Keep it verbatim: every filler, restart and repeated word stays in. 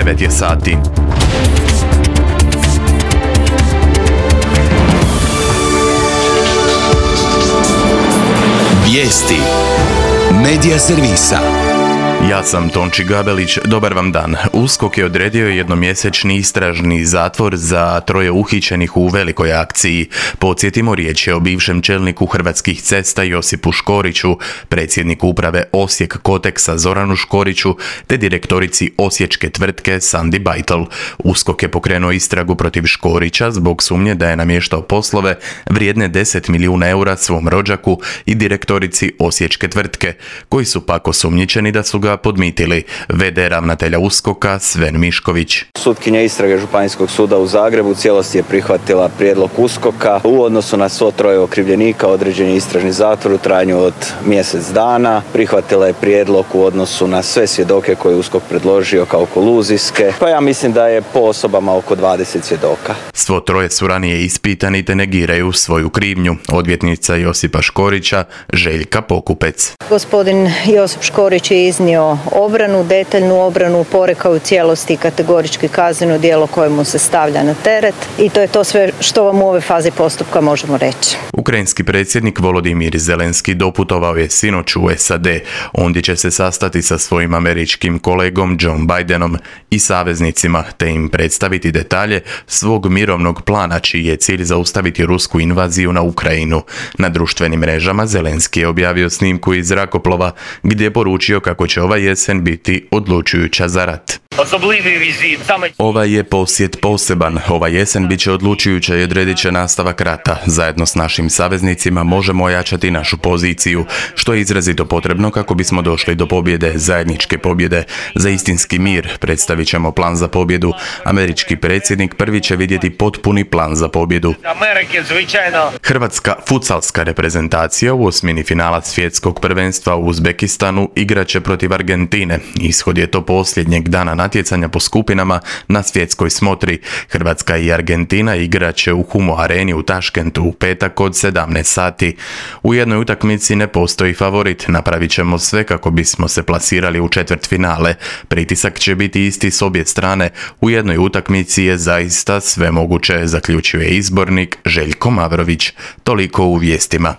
devet je sati. Vijesti Medija servisa. Ja sam Tonči Gabelić, dobar vam dan. USKOK je odredio jednomjesečni istražni zatvor za troje uhićenih u velikoj akciji. Podsjetimo, riječ je o bivšem čelniku Hrvatskih cesta Josipu Škoriću, predsjedniku uprave Osijek Koteksa Zoranu Škoriću, te direktorici osječke tvrtke Sandi Bajtel. USKOK je pokrenuo istragu protiv Škorića zbog sumnje da je namještao poslove vrijedne deset milijuna eura svom rođaku i direktorici osječke tvrtke, koji su pak osumnjičeni da su ga podmitili. ve de ravnatelja USKOK-a Sven Mišković. Sutkinja istrage Županijskog suda u Zagrebu u cijelosti je prihvatila prijedlog USKOK-a. U odnosu na svo troje okrivljenika određen je istražni zatvor u trajanju od mjesec dana. Prihvatila je prijedlog u odnosu na sve svjedoke koje je USKOK predložio kao koluzijske. Pa ja mislim da je po osobama oko dvadeset svjedoka. Svo troje su ranije ispitani te negiraju svoju krivnju. Odvjetnica Josipa Škorića Željka Pokupec. Gospodin Josip Škorić je iznio obranu, detaljnu obranu, porekao u cijelosti kategorički kazneno djelo koje mu se stavlja na teret i to je to sve što vam u ovoj fazi postupka možemo reći. Ukrajinski predsjednik Volodimir Zelenski doputovao je sinoć u es a de. Ondje će se sastati sa svojim američkim kolegom Joe Bidenom i saveznicima te im predstaviti detalje svog mirovnog plana čiji je cilj zaustaviti rusku invaziju na Ukrajinu. Na društvenim mrežama Zelenski je objavio snimku iz zrakoplova gdje je poručio kako će ova jesen biti odlučujuća za rat. Ovaj je posjet poseban. Ova jesen bit će odlučujuća i odredit će nastavak rata. Zajedno s našim saveznicima možemo ojačati našu poziciju, što je izrazito potrebno kako bismo došli do pobjede, zajedničke pobjede. Za istinski mir predstavit ćemo plan za pobjedu. Američki predsjednik prvi će vidjeti potpuni plan za pobjedu. Hrvatska futsalska reprezentacija u osmini finala svjetskog prvenstva u Uzbekistanu igraće protiv Argentine. Ishod je to posljednjeg dana natjecanja po skupinama na svjetskoj smotri. Hrvatska i Argentina igraće u Humo areni u Taškentu u petak od sedamnaest sati. U jednoj utakmici ne postoji favorit. Napravit ćemo sve kako bismo se plasirali u četvrtfinale. Pritisak će biti isti s obje strane. U jednoj utakmici je zaista sve moguće, zaključuje izbornik Željko Mavrović. Toliko u vijestima.